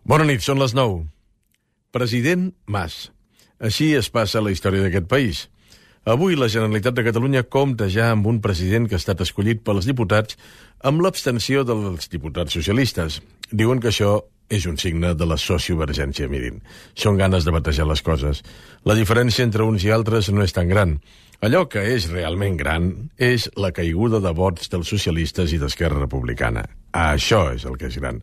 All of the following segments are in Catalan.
Bona nit, són les 9. President Mas. Així es passa la història d'aquest país. Avui la Generalitat de Catalunya compta ja amb un president que ha estat escollit pels diputats amb l'abstenció dels diputats socialistes. Diuen que això és un signe de la sociovergència, mirin. Són ganes de batejar les coses. La diferència entre uns i altres no és tan gran. Allò que és realment gran és la caiguda de vots dels socialistes i d'Esquerra Republicana. Això és el que és gran.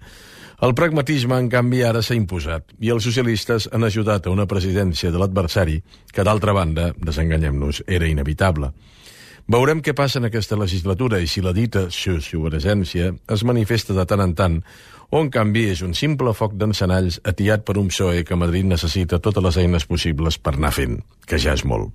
El pragmatisme, en canvi, ara s'ha imposat i els socialistes han ajudat a una presidència de l'adversari que, d'altra banda, desenganyem-nos, era inevitable. Veurem què passa en aquesta legislatura i si la dita sociovergència es manifesta de tant en tant o, en canvi, és un simple foc d'encenalls atiat per un PSOE que Madrid necessita totes les eines possibles per anar fent, que ja és molt.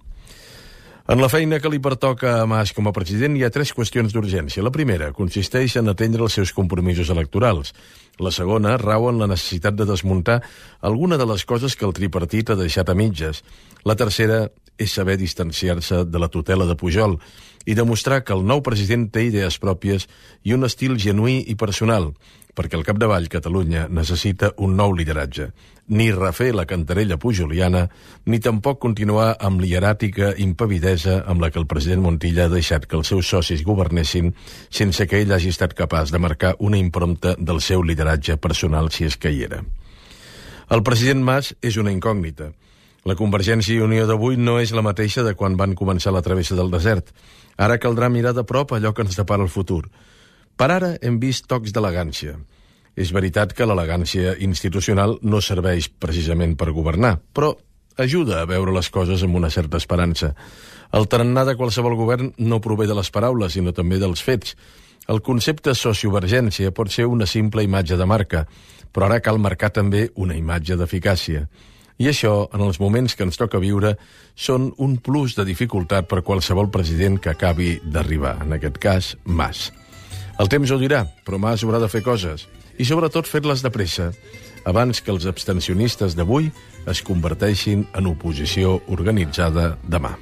En la feina que li pertoca a Mas com a president hi ha 3 qüestions d'urgència. La primera consisteix en atendre els seus compromisos electorals. La segona rau en la necessitat de desmuntar alguna de les coses que el tripartit ha deixat a mitges. La tercera és saber distanciar-se de la tutela de Pujol i demostrar que el nou president té idees pròpies i un estil genuí i personal, perquè al capdavall Catalunya necessita un nou lideratge. Ni refer la cantarella pujoliana, ni tampoc continuar amb l'hieràtica impavidesa amb la que el president Montilla ha deixat que els seus socis governessin sense que ell hagi estat capaç de marcar una impronta del seu lideratge personal si és que hi era. El president Mas és una incògnita. La Convergència i Unió d'avui no és la mateixa de quan van començar la travessa del desert. Ara caldrà mirar de prop allò que ens depara el futur. Per ara hem vist tocs d'elegància. És veritat que l'elegància institucional no serveix precisament per governar, però ajuda a veure les coses amb una certa esperança. El tarannà de qualsevol govern no prové de les paraules, sinó també dels fets. El concepte sociovergència pot ser una simple imatge de marca, però ara cal marcar també una imatge d'eficàcia. I això, en els moments que ens toca viure, són un plus de dificultat per qualsevol president que acabi d'arribar, en aquest cas, Mas. El temps ho dirà, però Mas haurà de fer coses, i sobretot fer-les de pressa, abans que els abstencionistes d'avui es converteixin en oposició organitzada demà.